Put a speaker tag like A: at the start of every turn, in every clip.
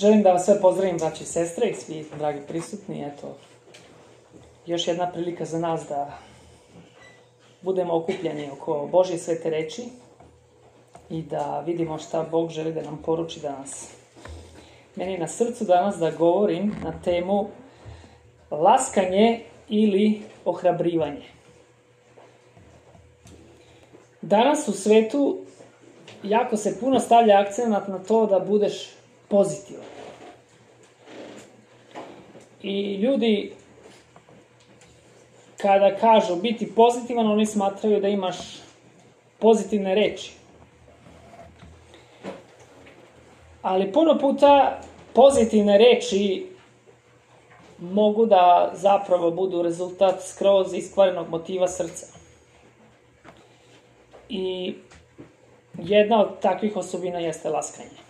A: Želim da vas sve pozdravim, braći i sestre i svi dragi prisutni. Eto, još jedna prilika za nas da budemo okupljeni oko Božje svete reči i da vidimo šta Bog želi da nam poruči danas. Meni je na srcu danas da govorim na temu laskanje ili ohrabrivanje. Danas u svetu jako se puno stavlja akcenat na to da budeš pozitivan. I ljudi kada kažu biti pozitivan, oni smatraju da imaš pozitivne reči. Ali puno puta pozitivne reči mogu da zapravo budu rezultat skroz iskvarenog motiva srca. I jedna od takvih osobina jeste laskanje.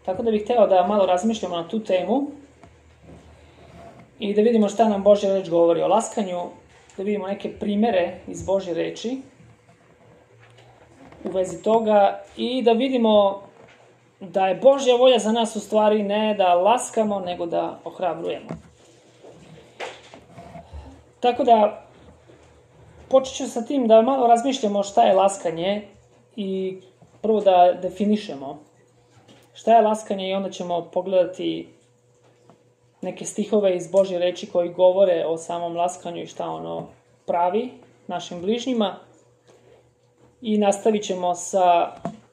A: Tako da bih hteo da malo razmišljamo na tu temu i da vidimo šta nam Božja reč govori o laskanju, da vidimo neke primere iz Božje reči u vezi toga i da vidimo da je Božja volja za nas u stvari ne da laskamo, nego da ohrabrujemo. Tako da počet ću sa tim da malo razmišljamo šta je laskanje i prvo da definišemo šta je laskanje i onda ćemo pogledati neke stihove iz Božje reči koji govore o samom laskanju i šta ono pravi našim bližnjima i nastavit ćemo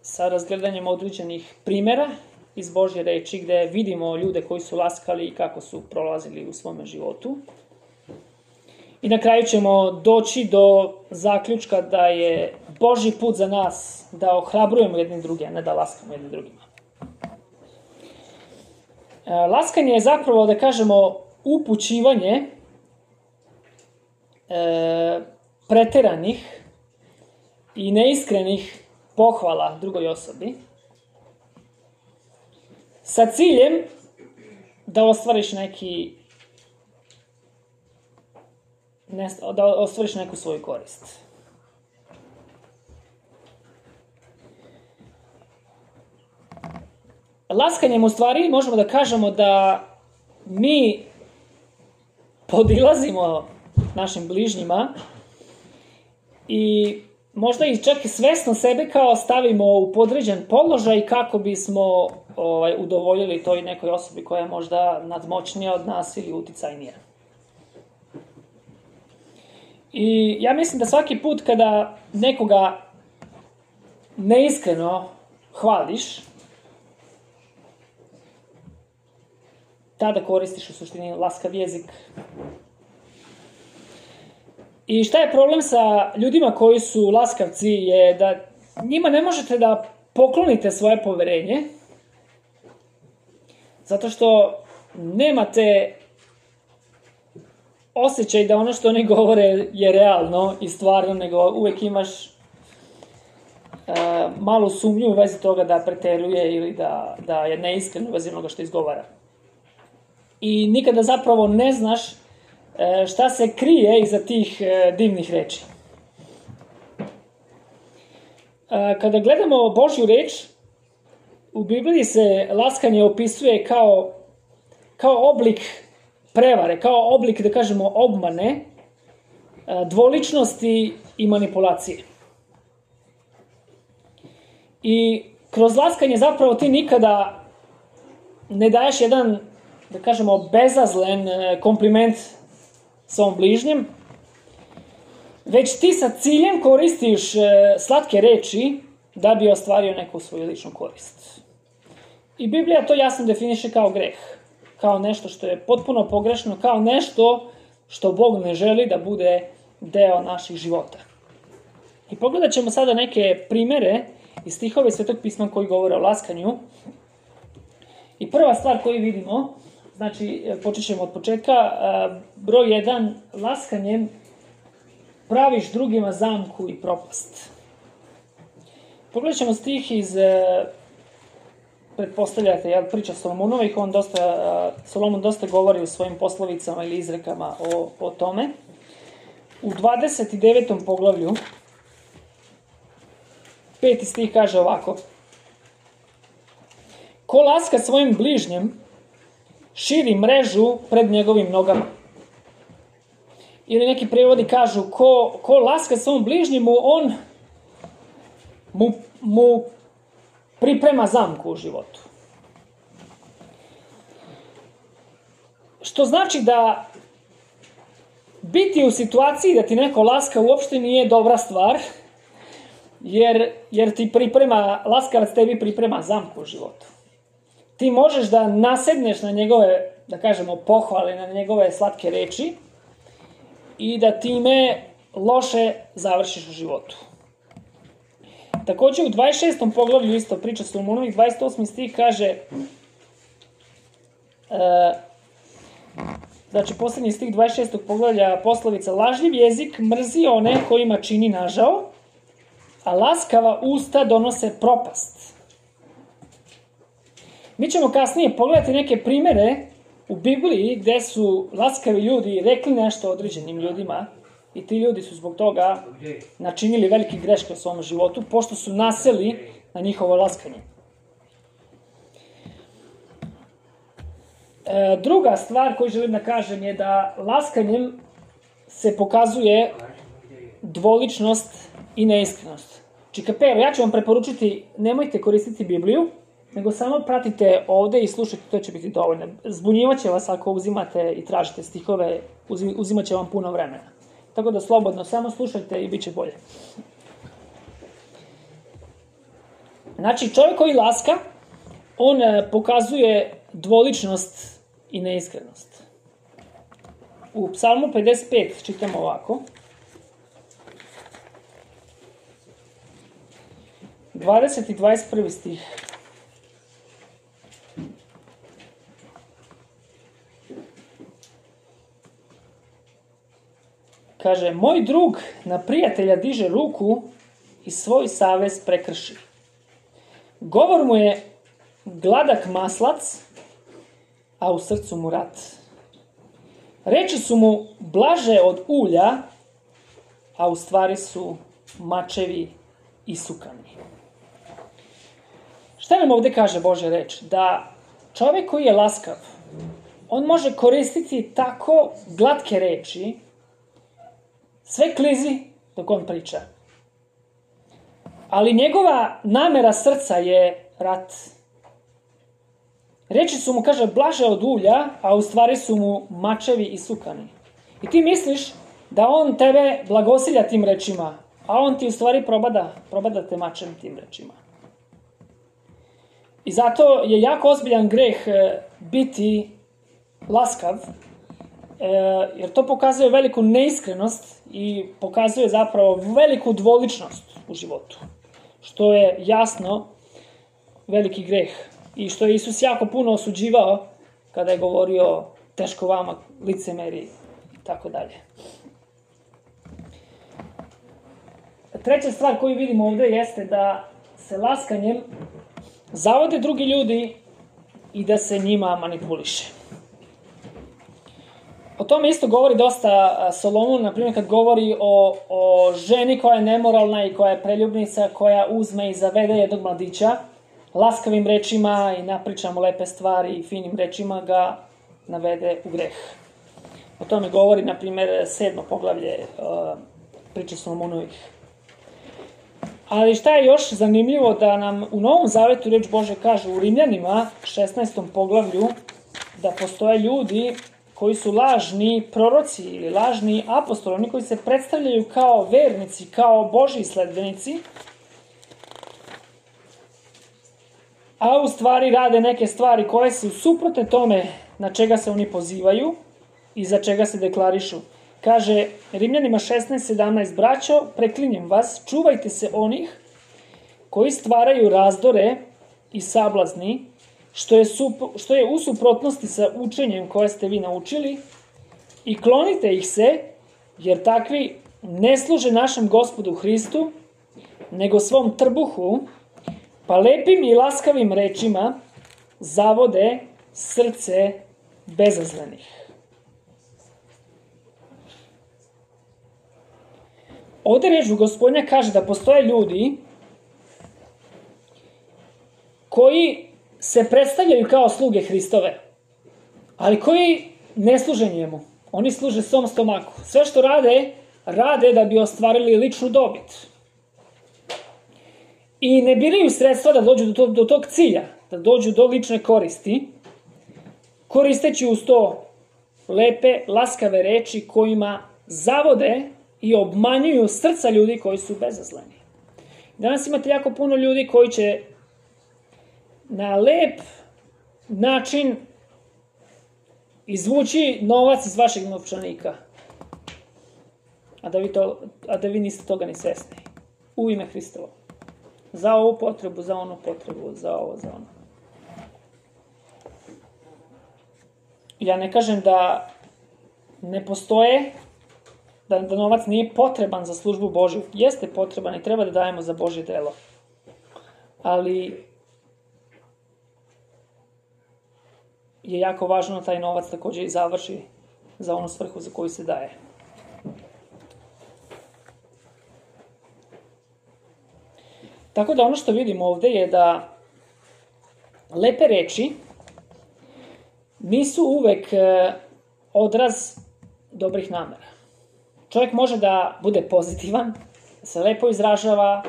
A: sa razgledanjem određenih primera iz Božje reči gde vidimo ljude koji su laskali i kako su prolazili u svome životu. I na kraju ćemo doći do zaključka da je Božji put za nas da ohrabrujemo jedni druge, a ne da laskamo jedni drugima. Laskanje je zapravo, da kažemo, upućivanje preteranih i neiskrenih pohvala drugoj osobi sa ciljem da ostvariš neku svoju korist. Laskanjem u stvari možemo da kažemo da mi podilazimo našim bližnjima i možda i čak svesno sebe kao stavimo u podređen položaj kako bismo udovoljili toj nekoj osobi koja je možda nadmoćnija od nas ili uticajnija. I ja mislim da svaki put kada nekoga neiskreno hvališ, tada koristiš u suštini laskav jezik. I šta je problem sa ljudima koji su laskavci je da njima ne možete da poklonite svoje poverenje zato što nemate osjećaj da ono što oni govore je realno i stvarno, nego uvek imaš malu sumnju u vezi toga da preteruje ili da je neiskreno u vezi onoga što izgovara. I nikada zapravo ne znaš šta se krije iza tih divnih reči. Kada gledamo Božju reč, u Bibliji se laskanje opisuje kao oblik prevare, kao oblik, da kažemo, obmane, dvoličnosti i manipulacije. I kroz laskanje zapravo ti nikada ne daješ jedan, da kažemo, bezazlen kompliment svom bližnjem, već ti sa ciljem koristiš slatke reči da bi ostvario neku svoju ličnu korist. I Biblija to jasno definiše kao greh, kao nešto što je potpuno pogrešno, kao nešto što Bog ne želi da bude deo naših života. I pogledat ćemo sada neke primere iz stihove Svetog pisma koji govore o laskanju. I prva stvar koju vidimo, znači počet ćemo od početka, broj 1, laskanjem praviš drugima zamku i propast. Pogledat ćemo stih iz, pretpostavljate, priča Solomonovih, Solomon dosta govori u svojim poslovicama ili izrekama o tome. U 29. poglavlju 5. stih kaže ovako: ko laska svojim bližnjem, širi mrežu pred njegovim nogama. Ili neki prevodi kažu, ko laska svom bližnjemu, on mu priprema zamku u životu. Što znači da biti u situaciji da ti neko laska uopšte nije dobra stvar, jer ti laskavac tebi priprema zamku u životu. Ti možeš da nasedneš na njegove, da kažemo, pohvale, na njegove slatke reči i da time loše završiš u životu. Takođe u 26. poglavlju isto priča Solomonovih, 28. stih kaže, znači poslednji stih 26. poglavlja poslovica, lažljiv jezik mrzi one kojima čini nažao, a laskava usta donose propast. Mi ćemo kasnije pogledati neke primere u Bibliji gde su laskavi ljudi rekli nešto određenim ljudima i ti ljudi su zbog toga načinili velike greške u svom životu, pošto su naseli na njihovo laskanje. Druga stvar koju želim da kažem je da laskanjem se pokazuje dvoličnost i neiskrenost. Čikapero, ja ću vam preporučiti, nemojte koristiti Bibliju, nego samo pratite ovde i slušajte, to će biti dovoljno. Zbunjivaće vas ako uzimate i tražite stihove, uzimaće vam puno vremena. Tako da slobodno, samo slušajte i bit će bolje. Znači, čovjek koji laska, on pokazuje dvoličnost i neiskrenost. U Psalmu 55 čitamo ovako. 20. i 21. stih. Kaže, moj drug na prijatelja diže ruku i svoj savez prekrši. Govor mu je gladak maslac, a u srcu mu rat. Reči su mu blaže od ulja, a u stvari su mačevi i sukani. Šta nam ovde kaže Božja reč? Da čovjek koji je laskav, on može koristiti tako glatke reči, sve klizi dok on priča. Ali njegova namera srca je rat. Reči su mu, kaže, blaže od ulja, a u stvari su mu mačevi i sukani. I ti misliš da on tebe blagosilja tim rečima, a on ti u stvari probada te mačem tim rečima. I zato je jako ozbiljan greh biti laskav, jer to pokazuje veliku neiskrenost i pokazuje zapravo veliku dvoličnost u životu, što je jasno veliki greh i što je Isus jako puno osuđivao kada je govorio teško vama, licemeri i tako dalje. Treća stvar koju vidimo ovde jeste da se laskanjem zavode drugi ljudi i da se njima manipuliše. O tome isto govori dosta Solomon, na primjer kad govori o ženi koja je nemoralna i koja je preljubnica, koja uzme i zavede jednog mladića, laskavim rečima i napriča mu lepe stvari i finim rečima ga navede u greh. O tome govori, na primjer, 7. poglavlje priče Solomonovih. Ali šta je još zanimljivo da nam u Novom Zavetu reč Bože kaže u Rimljanima 16. poglavlju da postoje ljudi koji su lažni proroci ili lažni apostoli, oni koji se predstavljaju kao vernici, kao Božji sledbenici, a u stvari rade neke stvari koje su suprotne tome na čega se oni pozivaju i za čega se deklarišu. Kaže Rimljanima 16:17, braćo, preklinjem vas, čuvajte se onih koji stvaraju razdore i sablazni, što je u suprotnosti sa učenjem koje ste vi naučili, i klonite ih se, jer takvi ne služe našem Gospodu Hristu, nego svom trbuhu, pa lepim i laskavim rečima zavode srce bezazlenih. Ovde reč Gospodnja kaže da postoje ljudi koji se predstavljaju kao sluge Hristove, ali koji ne služe njemu. Oni služe svom stomaku. Sve što rade da bi ostvarili ličnu dobit. I ne biraju sredstva da dođu do tog cilja, da dođu do lične koristi, koristeći uz to lepe, laskave reči kojima zavode i obmanjuju srca ljudi koji su bezazleni. Danas imate jako puno ljudi koji će na lep način izvući novac iz vašeg novčanika, a da vi niste toga ni svesni. U ime Hristovo. Za ovu potrebu, za onu potrebu, za ovo, za ono. Ja ne kažem da ne postoje, da novac nije potreban za službu Božju. Jeste potreban i treba da dajemo za Božje delo. Ali je jako važno da taj novac također i završi za onu svrhu za koju se daje. Tako da ono što vidimo ovde je da lepe reči nisu uvek odraz dobrih namera. Čovjek može da bude pozitivan, da se lepo izražava,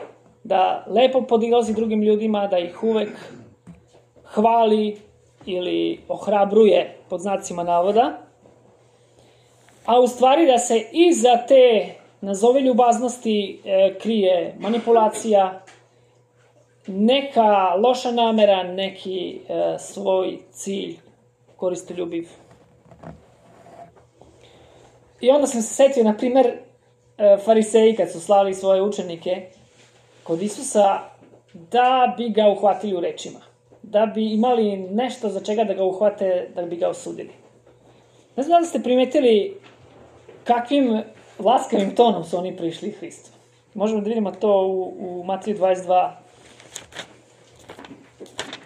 A: da lepo podilazi drugim ljudima, da ih uvek hvali ili ohrabruje pod znacima navoda, a u stvari da se iza te nazovi ljubaznosti krije manipulacija, neka loša namera, neki svoj cilj koristoljubiv. I onda sam se setio, na primer, fariseji kad su slali svoje učenike kod Isusa da bi ga uhvatili u rečima. Da bi imali nešto za čega da ga uhvate, da bi ga osudili. Ne znam da ste primetili kakvim laskavim tonom su oni prišli Hristu. Možemo da vidimo to u Mateju 22.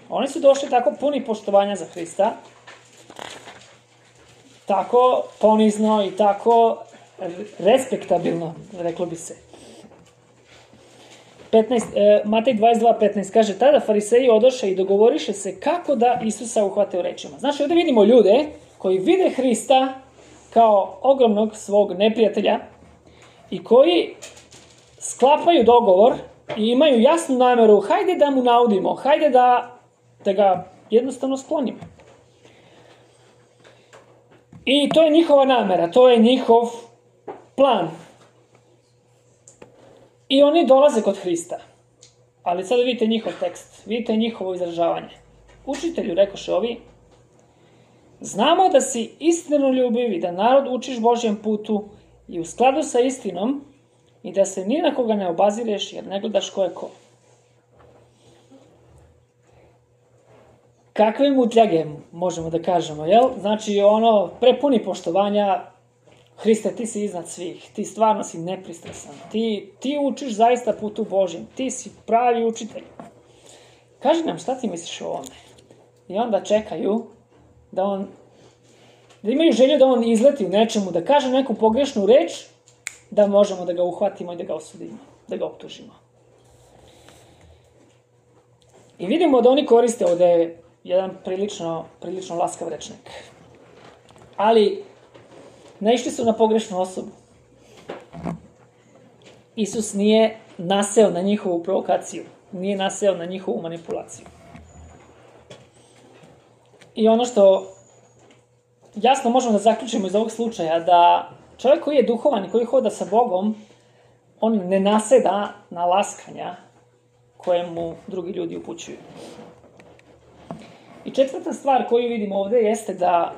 A: Oni su došli tako puni poštovanja za Hrista, tako ponizno i tako respektabilno, reklo bi se. Matej 22:15 kaže, tada fariseji odoše i dogovoriše se kako da Isusa uhvate u rečima. Znači, ovdje vidimo ljude koji vide Hrista kao ogromnog svog neprijatelja i koji sklapaju dogovor i imaju jasnu nameru, hajde da mu naudimo, hajde da ga jednostavno sklonimo. I to je njihova namera, to je njihov plan. I oni dolaze kod Hrista. Ali sad vidite njihov tekst, vidite njihovo izražavanje. Učitelju, rekoše ovi, znamo da si istinoljubiv i da narod učiš Božjem putu i u skladu sa istinom i da se ni na koga ne obazireš jer ne gledaš ko je ko. Kakve mutljage, možemo da kažemo, jel? Znači, prepuni poštovanja, Hriste, ti si iznad svih, ti stvarno si nepristrasan, ti učiš zaista putu Božjem, ti si pravi učitelj. Kaži nam šta ti misliš o ovome? I onda čekaju da imaju želju da on izleti u nečemu, da kaže neku pogrešnu reč, da možemo da ga uhvatimo i da ga osudimo, da ga optužimo. I vidimo da oni koriste ovde jedan prilično laskav rečnik. Ali naišli su na pogrešnu osobu. Isus nije naseo na njihovu provokaciju, nije naseo na njihovu manipulaciju. I ono što jasno možemo da zaključimo iz ovog slučaja, da čovjek koji je duhovan i koji hoda sa Bogom, on ne naseda na laskanja koje mu drugi ljudi upućuju. I četvrta stvar koju vidimo ovdje jeste da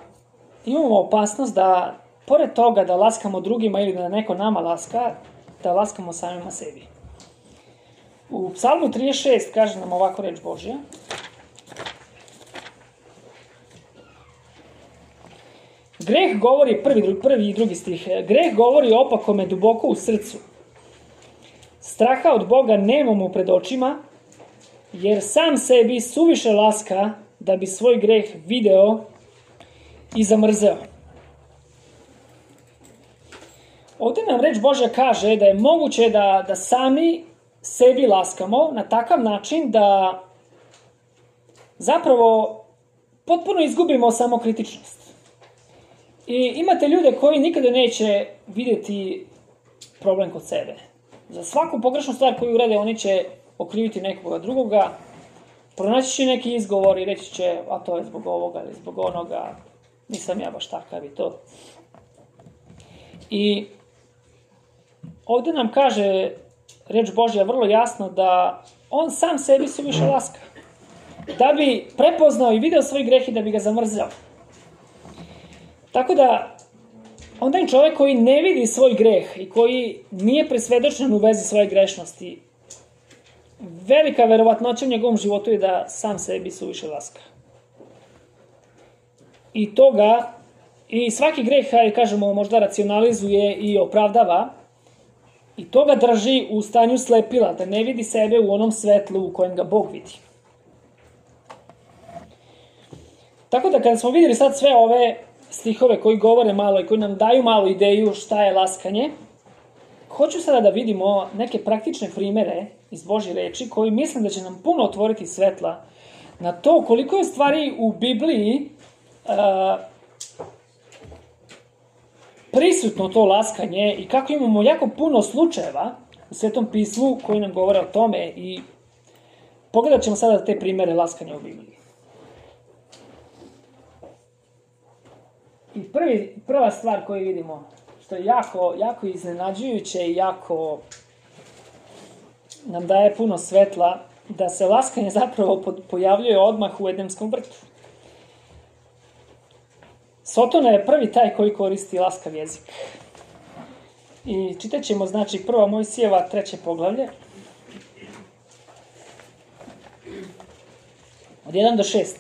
A: imamo opasnost da, pored toga da laskamo drugima ili da neko nama laska, da laskamo samima sebi. U Psalmu 36 kaže nam ovako reč Božja. Greh govori, prvi i drugi stih, greh govori opakome duboko u srcu. Straha od Boga nemamo pred očima, jer sam sebi suviše laska da bi svoj greh video i zamrzeo. Ovdje nam reč Božja kaže da je moguće da sami sebi laskamo na takav način da zapravo potpuno izgubimo samokritičnost. I imate ljude koji nikada neće vidjeti problem kod sebe. Za svaku pogrešnu stvar koju urade, oni će okriviti nekoga drugoga, pronaći će neki izgovor i reći će, a to je zbog ovoga ili zbog onoga, nisam ja baš takav i to. I ovdje nam kaže reč Božja vrlo jasno da on sam sebi suviše laska. Da bi prepoznao i video svoj greh i da bi ga zamrzao. Tako da, onda je čovjek koji ne vidi svoj greh i koji nije presvedočen u vezi svoje grešnosti, velika verovatnoća u njegovom životu je da sam sebi suviše laska. I toga, i svaki greh, kažemo, možda racionalizuje i opravdava, i toga drži u stanju slepila, da ne vidi sebe u onom svetlu u kojem ga Bog vidi. Tako da kada smo vidjeli sad sve ove stihove koji govore malo i koji nam daju malo ideju šta je laskanje, hoću sada da vidimo neke praktične primere iz Božje reči koji mislim da će nam puno otvoriti svetla na to koliko je stvari u Bibliji prisutno to laskanje i kako imamo jako puno slučajeva u Svetom pismu koji nam govore o tome i pogledat ćemo sada te primere laskanja u Bibliji. I prva stvar koju vidimo, što je jako iznenađujuće i jako nam daje puno svetla, da se laskanje zapravo pojavljuje odmah u Edemskom vrtu. Sotona je prvi taj koji koristi laskav jezik. I čitat ćemo, znači, 1. Mojsijeva 3. poglavlje. Od 1 do 6.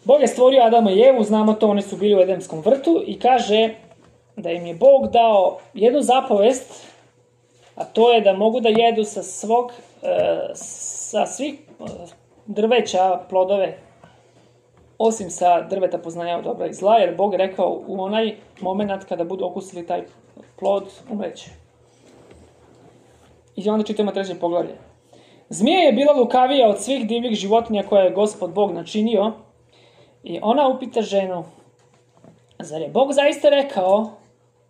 A: Bog je stvorio Adama i Evu, znamo to, oni su bili u Edemskom vrtu i kaže da im je Bog dao jednu zapovest, a to je da mogu da jedu sa svih drveća plodove, osim sa drveta poznanja od dobra i zla, jer Bog je rekao u onaj moment kada budu okusili taj plod, umreće. I onda čitamo 3. poglavlje. Zmija je bila lukavija od svih divljih životinja koje je Gospod Bog načinio i ona upita ženu, zar je Bog zaista rekao,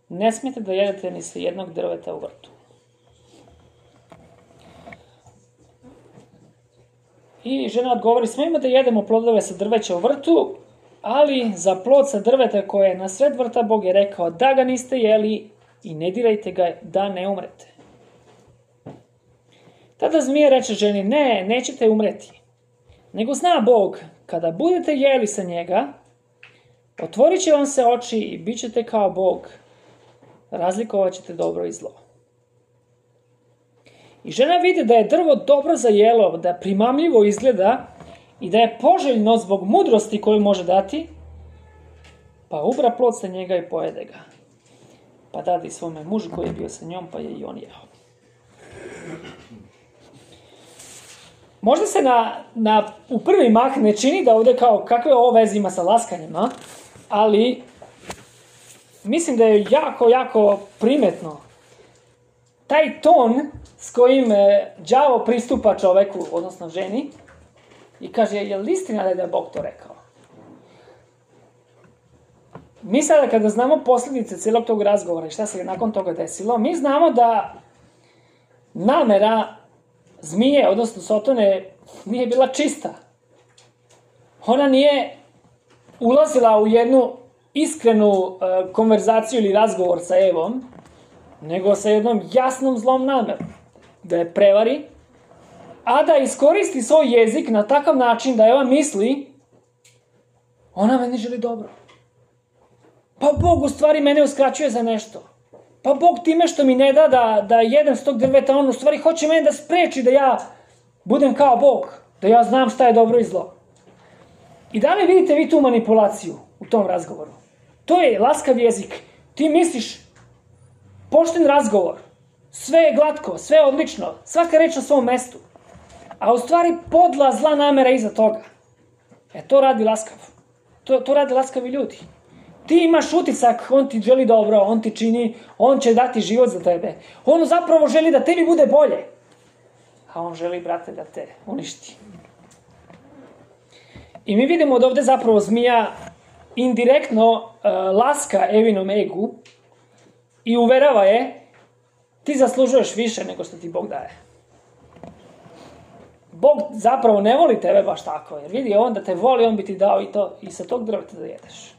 A: ne smijete da jedete ni sa jednog drveta u vrtu? I žena odgovori, smijemo da jedemo plodove sa drveća u vrtu, ali za plod sa drveta koje je na sred vrta Bog je rekao da ga niste jeli i ne dirajte ga da ne umrete. Tada zmija reče ženi, ne, nećete umreti. Nego zna Bog, kada budete jeli sa njega, otvorit će vam se oči i bit ćete kao Bog, razlikovat ćete dobro i zlo. I žena vidi da je drvo dobro za jelo, da primamljivo izgleda i da je poželjno zbog mudrosti koju može dati, pa ubra plod sa njega i pojede ga. Pa dade svome mužu koji je bio sa njom, pa je i on jeo. Možda se u prvi mah ne čini da ovdje kao kakve ovo veze ima sa laskanjima, ali mislim da je jako primetno taj ton s kojim đavo pristupa čoveku, odnosno ženi, i kaže, je li istina da je Bog to rekao? Mi sada kada znamo posljedice cijelog tog razgovora i šta se nakon toga desilo, mi znamo da namera zmije, odnosno Sotone, nije bila čista. Ona nije ulazila u jednu iskrenu konverzaciju ili razgovor sa Evom, nego sa jednom jasnom zlom namerom. Da je prevari, a da iskoristi svoj jezik na takav način da Eva misli, ona meni želi dobro. Pa Bog u stvari mene uskraćuje za nešto. Pa Bog time što mi ne da da jedem s tog drveta, on u stvari hoće mene da spreči da ja budem kao Bog, da ja znam šta je dobro i zlo. I da li vidite vi tu manipulaciju u tom razgovoru? To je laskav jezik. Ti misliš, pošten razgovor, sve je glatko, sve je odlično, svaka reč na svom mestu. A u stvari podla zla namera iza toga. To radi laskav. To radi laskavi ljudi. Ti imaš utisak, on ti želi dobro, on ti čini, on će dati život za tebe. On zapravo želi da tebi bude bolje. a on želi, brate, da te uništi. I mi vidimo da ovde zapravo zmija indirektno laska Evinom egu i uverava je, ti zaslužuješ više nego što ti Bog daje. Bog zapravo ne voli tebe baš tako, jer vidi on da te voli, on bi ti dao i to, i sa tog drveta da jedeš.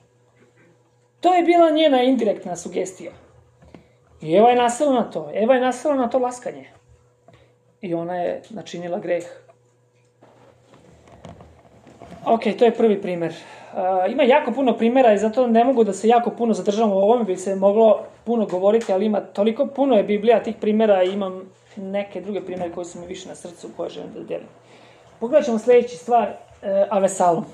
A: To je bila njena indirektna sugestija. I Eva je nasela na to. Eva je nasela na to laskanje. I ona je načinila greh. Ok, to je prvi primer. Ima jako puno primjera i zato ne mogu da se jako puno zadržam u ovome, bi se moglo puno govoriti, ali ima toliko puno je Biblija tih primjera i imam neke druge primjere koji su mi više na srcu, koje želim da delim. Pogledat ćemo sljedeći stvar, Avesalom.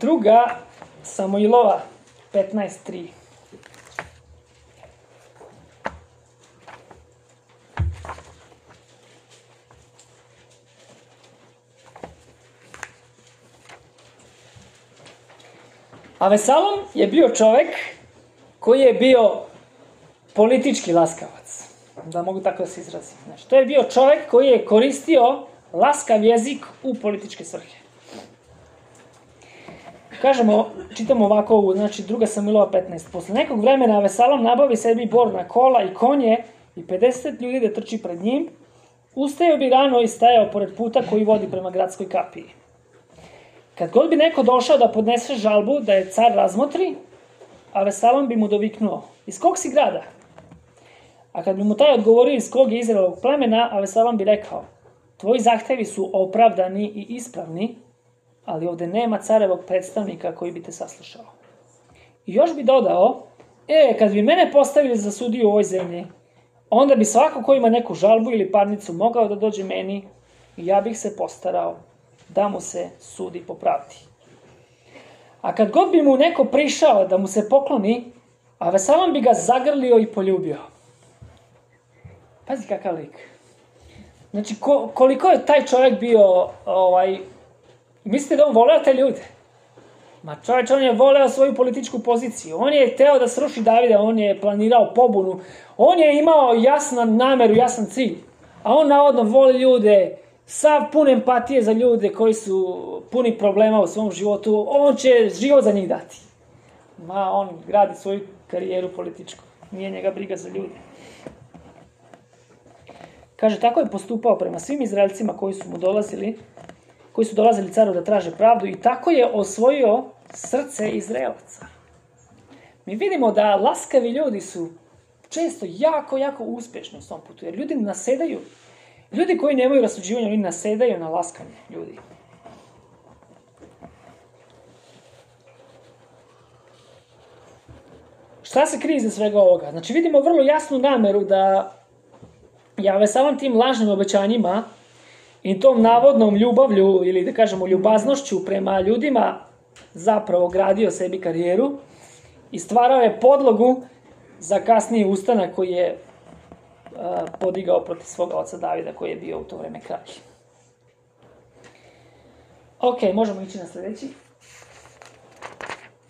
A: Druga Samuilova 15.3. Avesalom je bio čovek koji je bio politički laskavac. Da mogu tako da se izrazim. Znači, to je bio čovek koji je koristio laskav jezik u političke svrhe. Kažemo, čitamo ovako, znači 2. Samuilova 15. Posle nekog vremena Avesalom nabavi sebi borna kola i konje i 50 ljudi da trči pred njim. Ustajao bi rano i stajao pored puta koji vodi prema gradskoj kapiji. Kad god bi neko došao da podnese žalbu da je car razmotri, Avesalom bi mu doviknuo, iz kog si grada? A kad bi mu taj odgovorio iz kog je Izraelovog plemena, Avesalom bi rekao, tvoji zahtevi su opravdani i ispravni, ali ovde nema carevog predstavnika koji bi te saslušao. I još bi dodao, kad bi mene postavili za sudiju u ovoj zemlji, onda bi svako ko ima neku žalbu ili parnicu mogao da dođe meni i ja bih se postarao da mu se sudi po pravdi. A kad god bi mu neko prišao da mu se pokloni, Avesalom bi ga zagrlio i poljubio. Pazi kakav lik. Znači, koliko je taj čovjek bio, mislite da on voleo te ljude? Ma čovječ, on je voleo svoju političku poziciju. On je hteo da sruši Davida, on je planirao pobunu. On je imao jasnu nameru, jasan cilj. A on navodno voli ljude, sav pun empatije za ljude koji su puni problema u svom životu. On će život za njih dati. Ma, on gradi svoju karijeru političku. Nije njega briga za ljude. Kaže, tako je postupao prema svim Izraelcima koji su dolazili caru da traže pravdu i tako je osvojio srce Izraelaca. Mi vidimo da laskavi ljudi su često jako, jako uspješni u svom putu, jer ljudi nasedaju. Ljudi koji nemaju rasuđivanja, oni nasedaju na laskanje ljudi. Šta se krije iza svega ovoga? Znači, vidimo vrlo jasnu nameru da je samim tim lažnim obećanjima i tom navodnom ljubavlju ili da kažemo ljubaznošću prema ljudima zapravo gradio sebi karijeru i stvarao je podlogu za kasniji ustanak koji je podigao protiv svoga oca Davida koji je bio u to vreme kralj. Ok, možemo ići na sljedeći.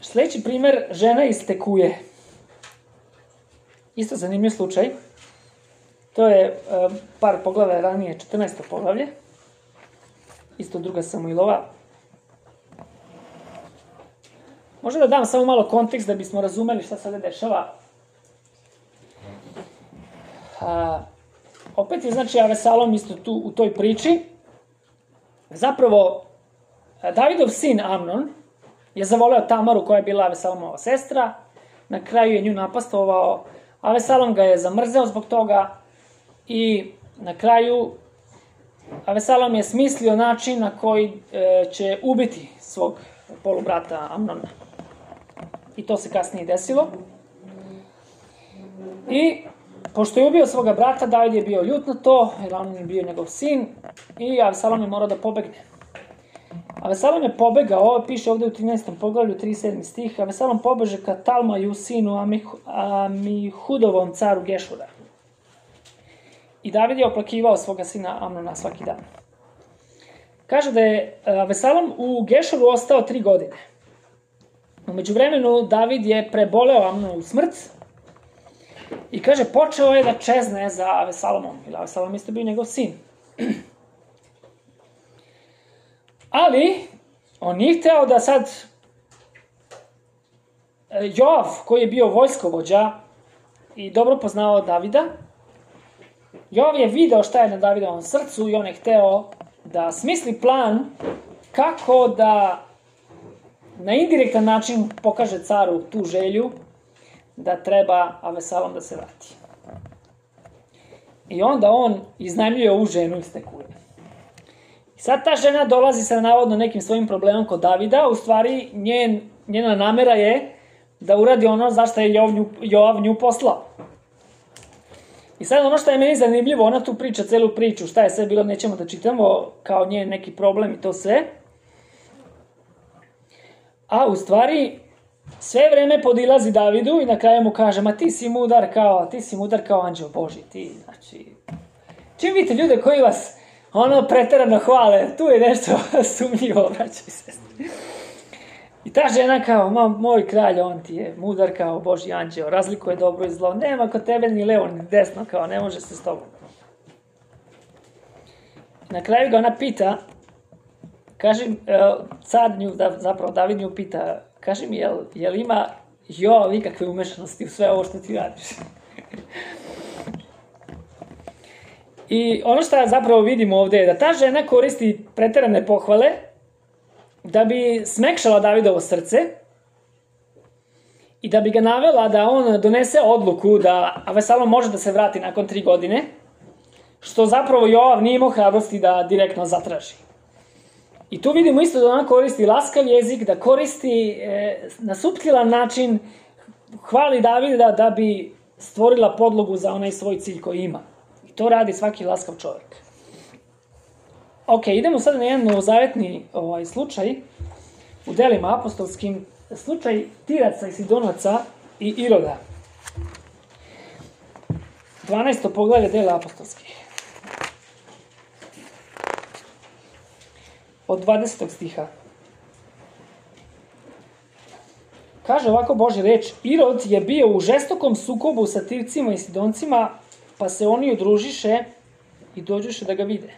A: Sljedeći primer, žena iz Tekuje. Isto zanimljiv slučaj. To je par poglave ranije, 14. poglavlje. Isto 2. Samuilova. Možda da dam samo malo kontekst da bismo razumeli šta sada dešava. Opet je znači Avesalom isto tu u toj priči. Zapravo, Davidov sin Amnon je zavoleo Tamaru koja je bila Avesalomova sestra. Na kraju je nju napastovao. Avesalom ga je zamrzeo zbog toga. I na kraju Avesalom je smislio način na koji će ubiti svog polubrata Amnona. I to se kasnije desilo. I pošto je ubio svoga brata, David je bio ljut na to, jer Amnon je bio njegov sin i Avesalom je morao da pobegne. Avesalom je pobegao, ovo piše ovdje u 13. poglavlju, 37. stih, Avesalom pobeže ka Talmaju, sinu Amihudovom caru Gešura. I David je oplakivao svoga sina Amnona svaki dan. Kaže da je Avesalom u Gešuru ostao 3 godine. U međuvremenu David je preboleo Amnonovu smrt I kaže, počeo je da čezne za Avesalomom, jer Avesalom isto bio njegov sin. Ali, on nije hteo da sad Joav, koji je bio vojskovođa i dobro poznao Davida, Joav je video šta je na Davidovom srcu i on je hteo da smisli plan kako da na indirektan način pokaže caru tu želju da treba Avesalom da se vrati. I onda on iznajmljuje ovu ženu iz te kuće. I sad ta žena dolazi sa navodno nekim svojim problemom kod Davida, u stvari njena namera je da uradi ono zašto je Joav nju poslao. I sad ono što je meni zanimljivo, ona tu priča celu priču, šta je sve bilo, nećemo da čitamo, kao njen neki problem i to sve. A u stvari, sve vreme podilazi Davidu i na kraju mu kaže, ma ti si mudar kao anđeo Božji, ti, znači... Čim vidite ljude koji vas, preterano hvale, tu je nešto sumnjivo, braćo i sestri. I ta žena kao, moj kralj, on ti je mudar kao Božji anđeo, razlikuje dobro i zlo, nema kod tebe ni levo ni desno, kao ne može se s tobom. Na kraju ga ona pita, kaže, car nju, zapravo David nju pita, kaži mi, jel ima Joav ikakve umešanosti u sve ovo što ti radiš? I ono što zapravo vidimo ovde je da ta žena koristi preterane pohvale da bi smekšala Davidovo srce i da bi ga navela da on donese odluku da Avesalom može da se vrati nakon 3 godine, što zapravo Joav nije imao hrabrosti da direktno zatraži. I tu vidimo isto da ona koristi laskav jezik, da koristi na suptilan način, hvali Davida da bi stvorila podlogu za onaj svoj cilj koji ima. I to radi svaki laskav čovjek. Ok, idemo sad na jedan novozavetni slučaj u delima apostolskim, slučaj Tiraca i Sidonaca i Iroda. 12. poglavlje dela apostolskih. Od 20. stiha. Kaže ovako Božja reč, Irod je bio u žestokom sukobu sa Tircima i Sidoncima, pa se oni udružiše i dođuše da ga vide.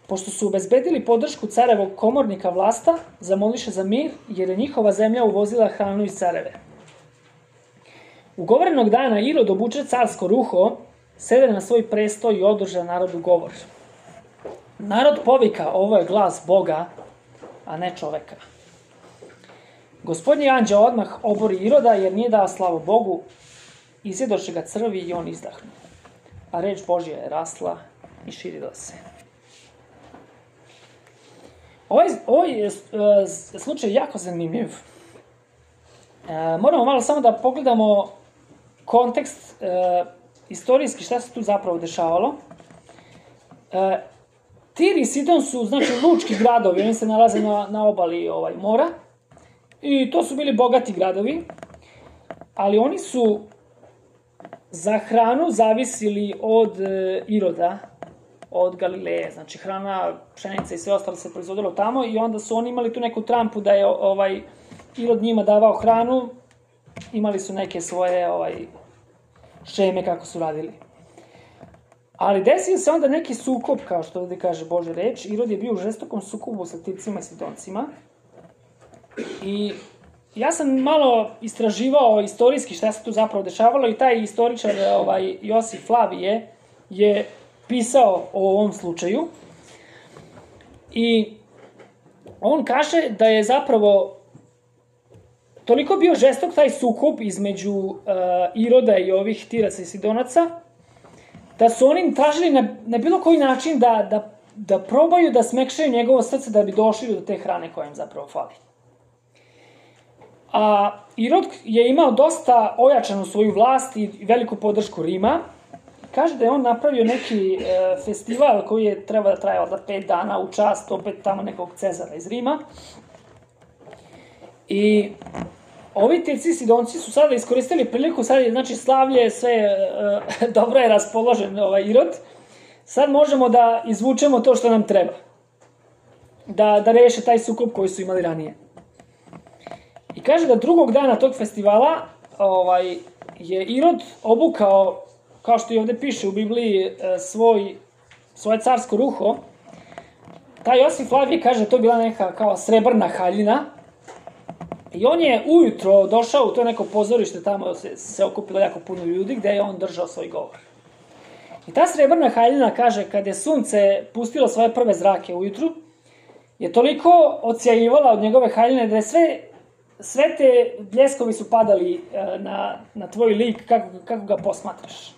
A: Pošto su obezbedili podršku carevog komornika Vlasta, zamoliše za mir, jer je njihova zemlja uvozila hranu iz careve. Ugovorenog dana Irod obuče carsko ruho, sede na svoj prestoj i održa narodu govor. Narod povika, ovo je glas Boga, a ne čoveka. Gospodnji anđeo odmah obori Iroda, jer nije dao slavu Bogu, izjedoše ga crvi i on izdahnu. A reč Božja je rasla i širila se. Ovaj je slučaj jako zanimljiv. Moramo malo samo da pogledamo kontekst istorijski šta se tu zapravo dešavalo. Tir i Sidon su, znači, lučki gradovi, oni se nalaze na obali mora i to su bili bogati gradovi, ali oni su za hranu zavisili od Iroda, od Galileje, znači hrana, pšenica i sve ostalo se proizvodilo tamo i onda su oni imali tu neku trampu da je Irod njima davao hranu, imali su neke svoje šeme kako su radili. Ali desio se onda neki sukob, kao što ovdje kaže Božja reč, Irod je bio u žestokom sukobu sa Tircima i Sidoncima i ja sam malo istraživao istorijski šta se tu zapravo dešavalo i taj istoričar Josif Flavije je pisao o ovom slučaju i on kaže da je zapravo toliko bio žestok taj sukob između Iroda i ovih Tiraca i Sidonaca da su oni tražili na bilo koji način da probaju da smekšaju njegovo srce da bi došli do te hrane koja im zapravo fali. A Irod je imao dosta ojačanu svoju vlast i veliku podršku Rima. Kaže da je on napravio neki festival koji je treba da traje od 5 dana u čast opet tamo nekog Cezara iz Rima. I ovi Tirci i Sidonci su sada iskoristili priliku, sad je znači slavlje, sve dobro je raspoložen Irod. Sad možemo da izvučemo to što nam treba. Da reše taj sukob koji su imali ranije. I kaže da drugog dana tog festivala je Irod obukao, kao što i ovde piše u Bibliji, svoje carsko ruho, taj Josif Flavije kaže to je bila neka kao srebrna haljina i on je ujutro došao u to neko pozorište, tamo se okupilo jako puno ljudi gde je on držao svoj govor. I ta srebrna haljina kaže kad je sunce pustilo svoje prve zrake ujutru, je toliko odsjajivala od njegove haljine da je sve te bljeskovi su padali na tvoj lik kako ga posmatraš.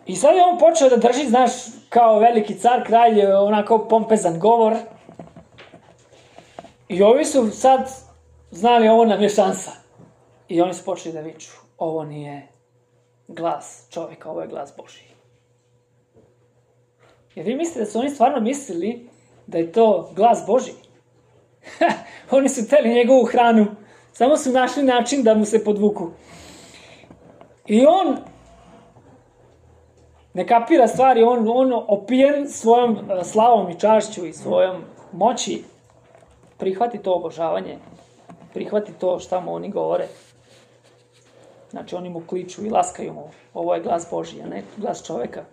A: I sad je on počeo da drži, znaš, kao veliki car, kralj, onako pompezan govor. I ovi su sad znali ovo nam je šansa. I oni su počeli da viču, ovo nije glas čoveka, ovo je glas Božji. Jer vi mislite da su oni stvarno mislili da je to glas Božji? Oni su teli njegovu hranu, samo su našli način da mu se podvuku. I on ne kapira stvari, on opijen svojom slavom i čašću i svojom moći prihvati to obožavanje, prihvati to šta mu oni govore. Znači oni mu kliču i laskaju mu, ovo je glas Božji, a ne glas čoveka.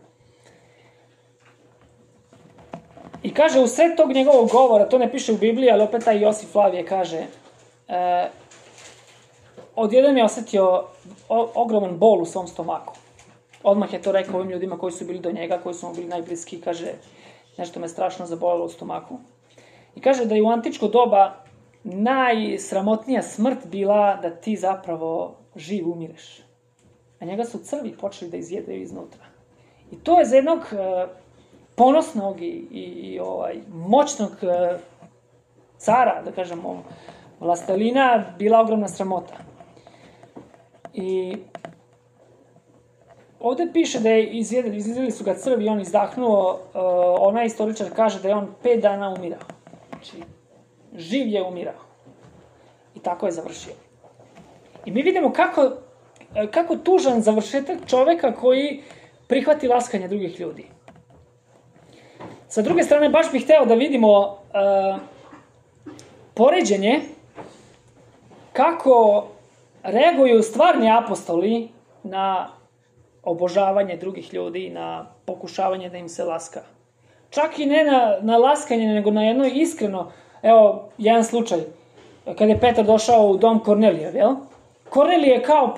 A: I kaže, u sred tog njegovog govora, to ne piše u Bibliji, ali opet taj Josif Flavije kaže, odjedan je osetio ogroman bol u svom stomaku. Odmah je to rekao ovim ljudima koji su bili do njega, koji su mu bili najbliski, kaže, nešto me strašno zabolelo u stomaku. I kaže da je u antičko doba najsramotnija smrt bila da ti zapravo živ umireš. A njega su crvi počeli da izjedaju iznutra. I to je za jednog ponosnog i moćnog cara, da kažemo, vlastelina, bila ogromna sramota. I ovde piše da je izjedili su ga crvi i on izdahnuo, onaj istoričar kaže da je on 5 dana umirao. Znači, živ je umirao. I tako je završio. I mi vidimo kako tužan završetak čoveka koji prihvati laskanje drugih ljudi. Sa druge strane, baš bih hteo da vidimo poređenje kako reaguju stvarni apostoli na obožavanje drugih ljudi, na pokušavanje da im se laska. Čak i ne na laskanje, nego na jedno iskreno. Evo, jedan slučaj. Kada je Petar došao u dom Kornelijev, jel? Kornelije je kao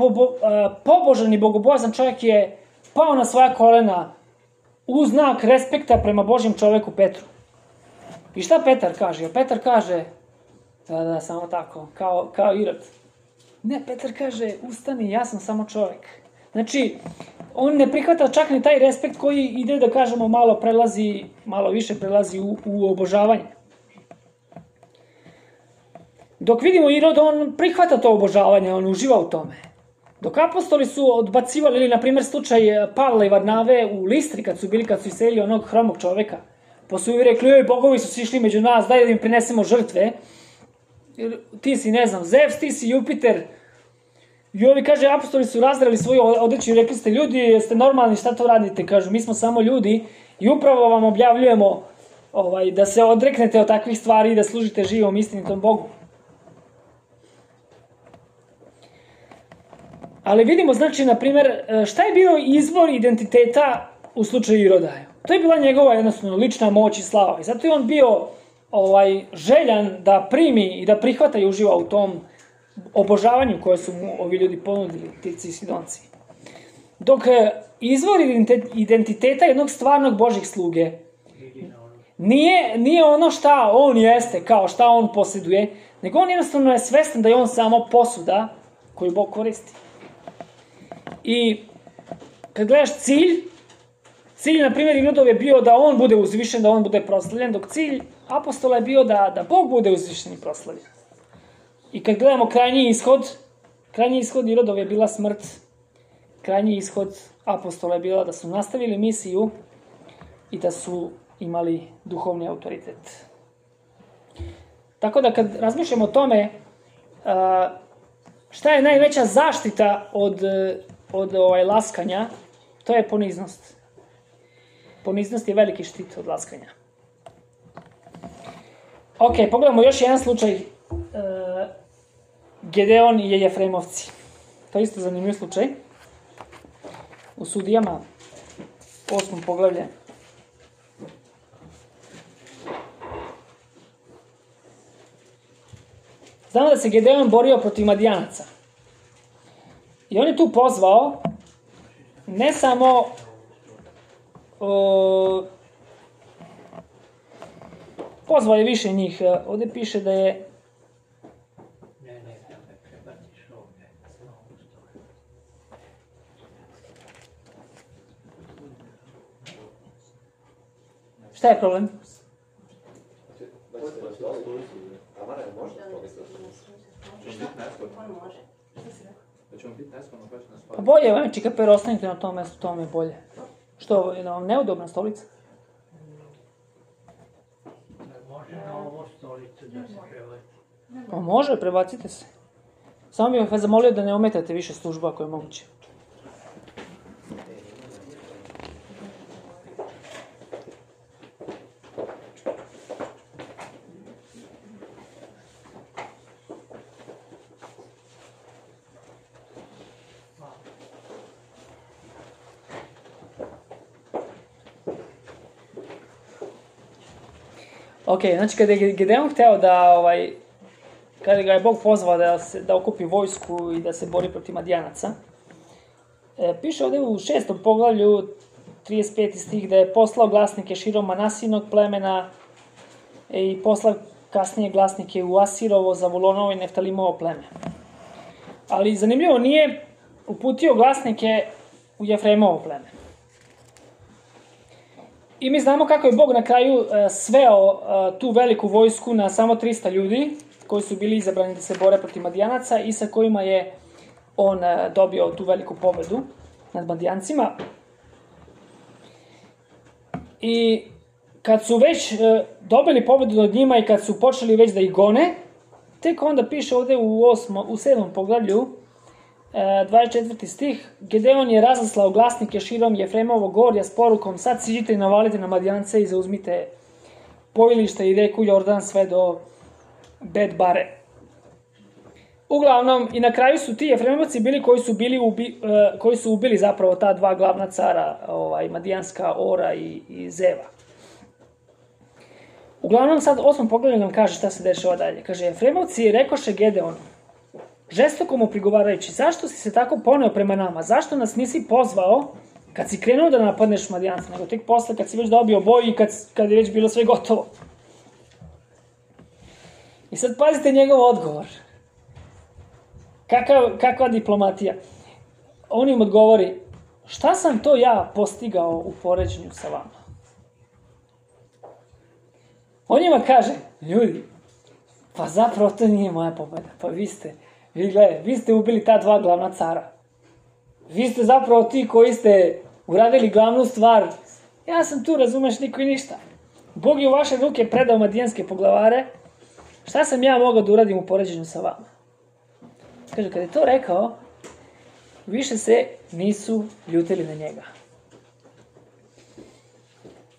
A: pobožan i bogobojazan čovjek je pao na svoja kolena u znak respekta prema Božjem čoveku Petru. I šta Petar kaže? Petar kaže, da, samo tako, kao Irod. Ne, Petar kaže, ustani, ja sam samo čovjek. Znači, on ne prihvata čak ni taj respekt koji ide, da kažemo, malo više prelazi u obožavanje. Dok vidimo Irod, on prihvata to obožavanje, on uživa u tome. Dok apostoli su odbacivali, ili, na primjer, slučaj Pavla i Varnave u Listri, kad su iselili onog hromog čoveka, pa su i rekli, bogovi su sišli među nas, daj da im prinesemo žrtve, ti si, ne znam, Zevs, ti si Jupiter. I ovi, kaže, apostoli su razdrali svoju odeću i rekli ste, ljudi, jeste normalni, šta to radite? Kažu, mi smo samo ljudi i upravo vam objavljujemo da se odreknete od takvih stvari i da služite živom istinitom Bogu. Ali vidimo, znači, na primjer, šta je bio izvor identiteta u slučaju Iroda? To je bila njegova jednostavno lična moć i slava. I zato je on bio željan da primi i da prihvata i uživa u tom obožavanju koje su mu ovi ljudi ponudili, Tirci i Sidonci. Dok izvor identiteta jednog stvarnog Božjih sluge nije ono šta on jeste, kao šta on posjeduje, nego on jednostavno je svestan da je on samo posuda koju Bog koristi. I kad gledaš cilj, na primjer, Irodov je bio da on bude uzvišen, da on bude proslavljen, dok cilj apostola je bio da Bog bude uzvišen i proslavljen. I kad gledamo krajnji ishod Irodov je bila smrt, krajnji ishod apostola je bila da su nastavili misiju i da su imali duhovni autoritet. Tako da kad razmišljamo o tome, šta je najveća zaštita od laskanja, to je poniznost. Poniznost je veliki štit od laskanja. Ok, pogledamo još jedan slučaj. Gedeon i Jefremovci. To je isto zanimljiv slučaj. U Sudijama, 8. poglavlje. Znamo da se Gedeon borio protiv Madijanaca. I on je tu pozvao ne samo pozvao je više njih. Ovdje piše da je šta je problem? Pa bolje, Venči Kaper, ostanite na tom mjestu, to mi je bolje. Što, je vam neudobna stolica?
B: Može na ovu stolicu da se prebaci.
A: Pa može, prebacite se. Samo bih vas zamolio da ne ometate više službu ako je moguće. Ok, znači kada je Gedeon hteo da, kada ga je Bog pozvao da okupi vojsku i da se bori protiv Madijanaca, piše ovdje u 6. poglavlju 35. stih da je poslao glasnike širom Manasinog plemena i poslao kasnije glasnike u Asirovo, Zavulonovo i Neftalimovo pleme. Ali zanimljivo, nije uputio glasnike u Jefremovo pleme. I mi znamo kako je Bog na kraju sveo tu veliku vojsku na samo 300 ljudi koji su bili izabrani da se bore protiv Madijanaca i sa kojima je on dobio tu veliku pobedu nad Madijancima. I kad su već dobili pobedu nad njima i kad su počeli već da ih gone, tek onda piše ovdje u 7. poglavlju 24. stih, Gedeon je razaslao glasnike širom Jefremovog gorja s porukom: sad siđite i navalite na Madijance i zauzmite pojilište i reku Jordan sve do Bet-bare. Uglavnom, i na kraju su ti Jefremovci bili koji su ubili zapravo ta dva glavna cara, Madijanska, Ora i Zeva. Uglavnom, sad 8. poglavlju nam kaže šta se dešava dalje. Kaže, Jefremovci rekoše Gedeonu, žestoko mu prigovarajući: zašto si se tako poneo prema nama? Zašto nas nisi pozvao kad si krenuo da napadneš Madijance, nego tek posle kad si već dobio boj i kad je već bilo sve gotovo? I sad pazite njegov odgovor. Kakva diplomatija? On im odgovori: šta sam to ja postigao u poređenju sa vama? On njima kaže: ljudi, pa zapravo to nije moja pobeda. Pa vi ste ubili ta dva glavna cara. Vi ste zapravo ti koji ste uradili glavnu stvar. Ja sam tu, razumeš, niko i ništa. Bog je u vaše ruke predao madijanske poglavare. Šta sam ja mogao da uradim u poređenju sa vama? Kaže, kad je to rekao, više se nisu ljutili na njega.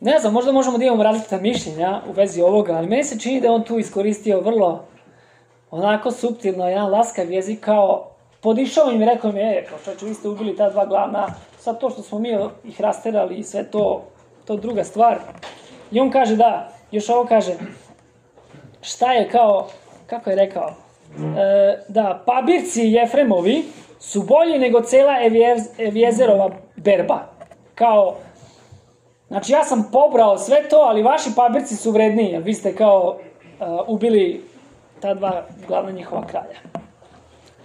A: Ne znam, možda možemo da imamo različita mišljenja u vezi ovoga, ali meni se čini da on tu iskoristio vrlo onako suptilno jedan laskav jezik, kao podišao im i rekao im: čovječe, vi ste ubili ta dva glavna, sad to što smo mi ih rasterali i sve to druga stvar. I on kaže još ovo kaže, šta je kao, kako je rekao, da pabirci Jefremovi su bolji nego cela Eviezerova berba. Kao, znači ja sam pobrao sve to, ali vaši pabirci su vredniji, jer vi ste kao ubili ta dva glavna njihova kralja.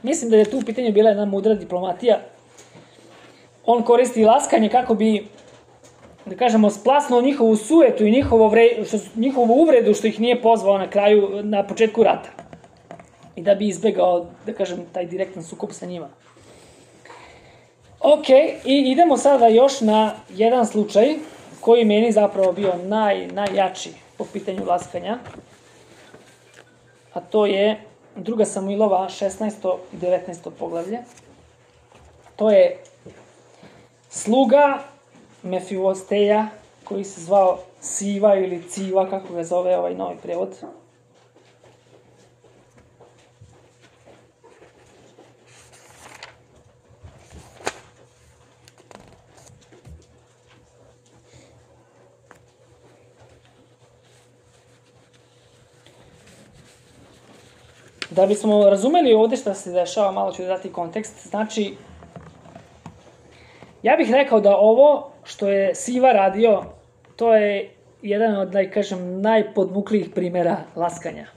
A: Mislim da je tu u pitanju bila jedna mudra diplomatija. On koristi laskanje kako bi, da kažemo, splasnuo njihovu sujetu i njihovu uvredu što ih nije pozvao na početku rata. I da bi izbegao, da kažem, taj direktan sukob sa njima. Ok, i idemo sada još na jedan slučaj koji meni zapravo bio najjači po pitanju laskanja. A to je 2. Samuilova 16. i 19. poglavlje. To je sluga Mefivosteja, koji se zvao Siva ili Civa, kako ga zove ovaj novi prevod. Da bismo razumeli ovde šta se dešava, malo ću da dati kontekst. Znači, ja bih rekao da ovo što je Siva radio, to je jedan od, da kažem, najpodmuklijih primjera laskanja.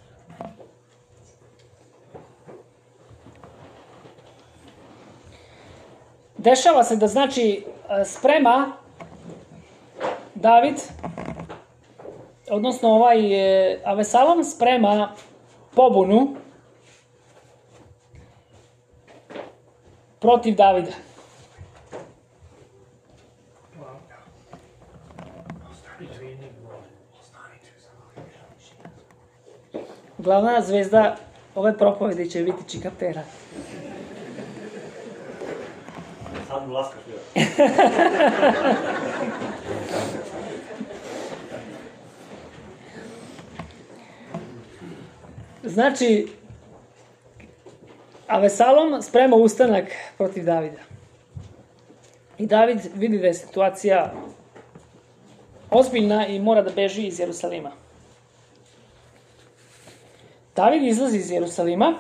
A: Dešava se da, znači, sprema David, odnosno Avesalom sprema pobunu protiv Davida. Glavna zvezda ove propovedi će biti Čika Pera.
C: Sad mu laskaš bio.
A: Znači, Avesalom sprema ustanak protiv Davida. I David vidi da je situacija ozbiljna i mora da beži iz Jerusalima. David izlazi iz Jerusalima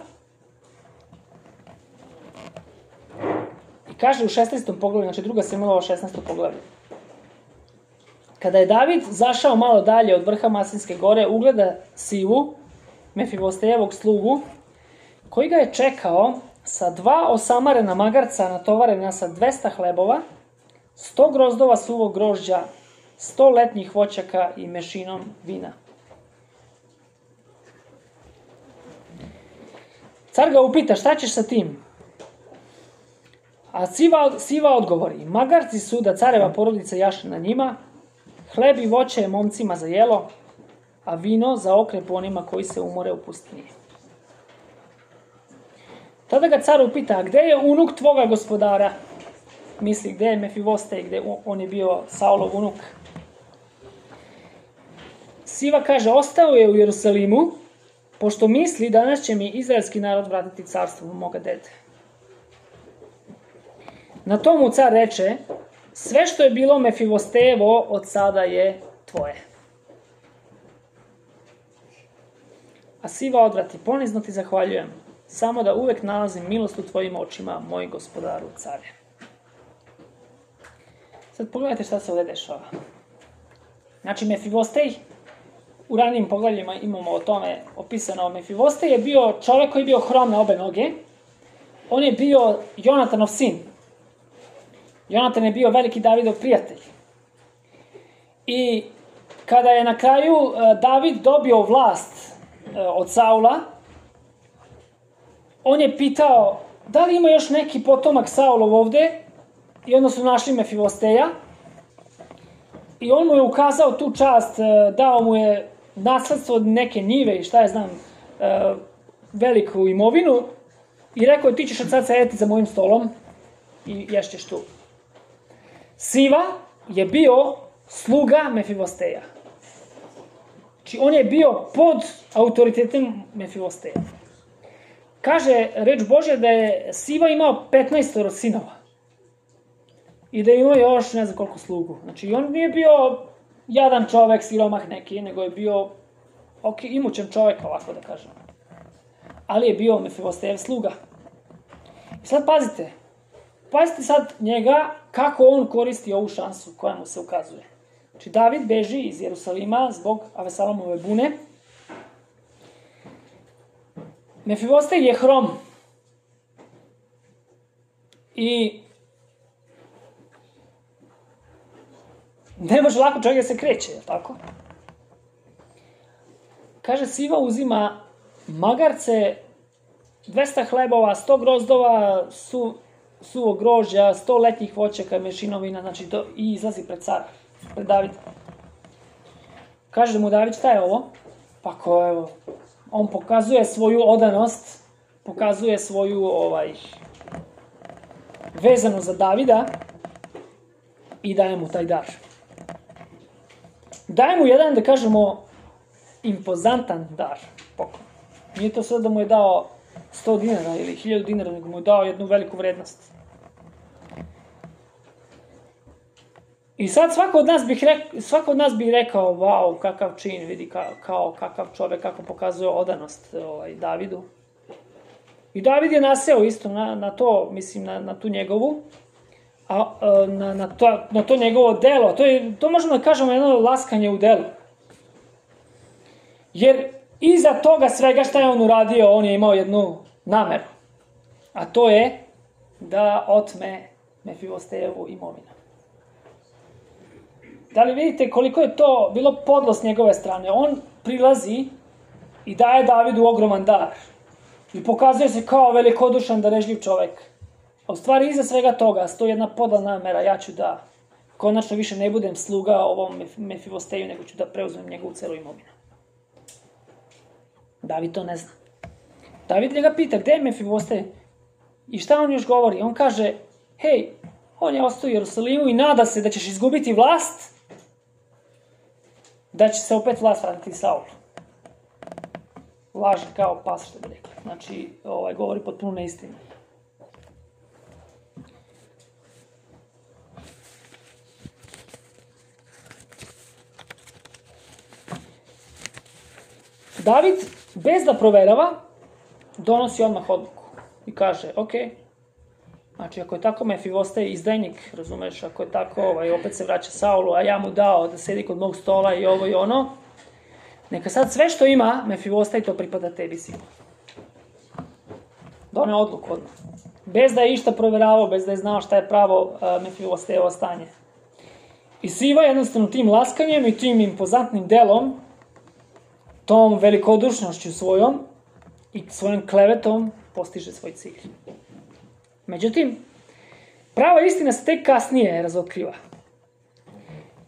A: i kaže u 16. poglavlju, znači 2. Samuelova 16. poglavlju. Kada je David zašao malo dalje od vrha Masinske gore, ugleda Sivu, Mefibostejevog slugu, koji ga je čekao sa 2 osamarena magarca natovarena sa 200 hlebova, 100 grozdova suvog grožđa, 100 letnjih voćaka i mešinom vina. Car ga upita, šta ćeš sa tim? A Siva odgovori, magarci su da careva porodica jaše na njima, hleb i voće je momcima za jelo, a vino za okrep onima koji se umore u pustinji. Tada ga car upita, gde je unuk tvoga gospodara? Misli, gde je Mefibostej, gde on je bio Saulov unuk? Siva kaže, ostao je u Jerusalimu, pošto misli, danas će mi izraelski narod vratiti carstvo moga dede. Na to mu car reče, sve što je bilo Mefibostejevo od sada je tvoje. A Siva odvrati, ponizno ti zahvaljujem, samo da uvek nalazim milost u tvojim očima, moj gospodaru care. Sad pogledajte šta se ovde dešava. Znači, Mefibostej, u ranijim poglavljima imamo o tome opisano, Mefibostej je bio čovek koji je bio hrom na obe noge. On je bio Jonatanov sin. Jonatan je bio veliki Davidov prijatelj. I kada je na kraju David dobio vlast od Saula, on je pitao da li ima još neki potomak Saulov ovde, i onda su našli Mefibosteja i on mu je ukazao tu čast, dao mu je nasledstvo od neke njive i šta je znam, veliku imovinu i rekao je ti ćeš od sad sedeti za mojim stolom i ješćeš tu. Siva je bio sluga Mefibosteja. Znači on je bio pod autoritetom Mefibosteja. Kaže reč Božja da je Siva imao 15 sinova. I da ima još ne znam koliko slugu. Znači on nije bio jadan čovek, siromah neki, nego je bio imućan čovek, ovako da kažem. Ali je bio Mefibostejev sluga. I sad pazite. Pazite sad njega kako on koristi ovu šansu koja mu se ukazuje. Znači David beži iz Jerusalima zbog Avesalomove bune. Mefibostej je hrom. I ne može lako čovjek da se kreće, je tako? Kaže, Siva uzima magarce, 200 hlebova, 100 grozdova, suvo grožđa, 100 letnjih voćaka, mešinovina, znači i izlazi pred cara, pred Davida. Kaže mu David, šta je ovo? Pa ko, evo, on pokazuje svoju odanost, pokazuje svoju vezanu za Davida i daje mu taj dar. Daje mu jedan, da kažemo, impozantan dar, poklon. Nije to sve da mu je dao 100 dinara ili 1000 dinara, nego mu je dao jednu veliku vrednost. I sad svako od nas bi rekao, wow, kakav čin, vidi kakav čovek, kako pokazuje odanost Davidu. I David je naseo isto na to, mislim, na tu njegovu, na to njegovo delo. To možemo da kažemo jedno laskanje u delu. Jer iza toga svega šta je on uradio, on je imao jednu nameru. A to je da otme Mefibostejevu imovinu. Da li vidite koliko je to bilo podlost njegove strane? On prilazi i daje Davidu ogroman dar. I pokazuje se kao velikodušan, darežljiv čovek. A u stvari iza svega toga stoji jedna podla namera, ja ću da konačno više ne budem sluga ovom Mefibosteju, nego ću da preuzmem njegovu celu imovinu. David to ne zna. David njega pita, gde je Mefibostej? I šta on još govori? On kaže, hej, on je ostao u Jerusalimu i nada se da ćeš izgubiti vlast, da će se opet vlast vratiti Saulu. Laže kao pas, što bi rekli. Znači, govori potpuno neistinu. David, bez da proverava, donosi odmah odluku. I kaže, ok, znači ako je tako Mefibostej izdajnik, razumeš, ako je tako, opet se vraća Saulu, a ja mu dao da sedi kod mog stola i ovo i ono, neka sad sve što ima Mefibostej, to pripada tebi, sinu. Doneo odluku odmah. Bez da je išta proveravao, bez da je znao šta je pravo Mefibostejevo stanje. I Siva jednostavno tim laskanjem i tim impozantnim delom, tom velikodušnošću svojom i svojom klevetom postiže svoj cilj. Međutim, prava istina se tek kasnije razotkriva.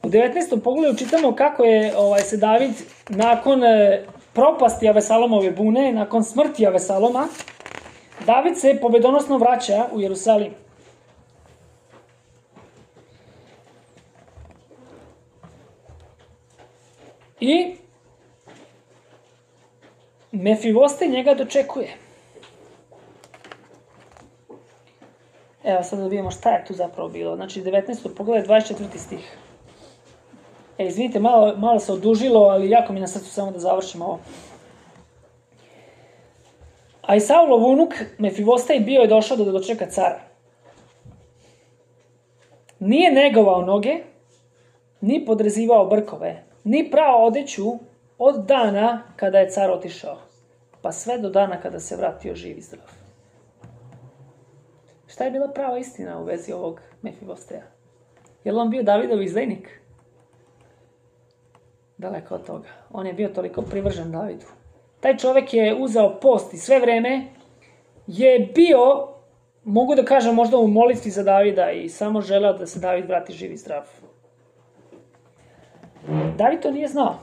A: U 19. pogledu čitamo kako je se David nakon propasti Avesalomove bune, nakon smrti Avesaloma, David se pobedonosno vraća u Jerusalim. I Mefibostej njega dočekuje. Evo sad da vidimo šta je tu zapravo bilo. Znači 19. pogledaj 24. stih. Izvinite, malo se odužilo, ali jako mi na srcu samo da završimo ovo. A i Saulov unuk Mefibostej bio je došao da dočeka cara. Nije negovao noge, ni podrezivao brkove, ni prao odeću od dana kada je car otišao, pa sve do dana kada se vratio živ i zdrav. Šta je bila prava istina u vezi ovog Mefibosteja? Je li on bio Davidov izdajnik? Daleko od toga. On je bio toliko privržen Davidu. Taj čovek je uzeo post i sve vreme je bio, mogu da kažem, možda u molitvi za Davida i samo želeo da se David vrati živ i zdrav. David to nije znao.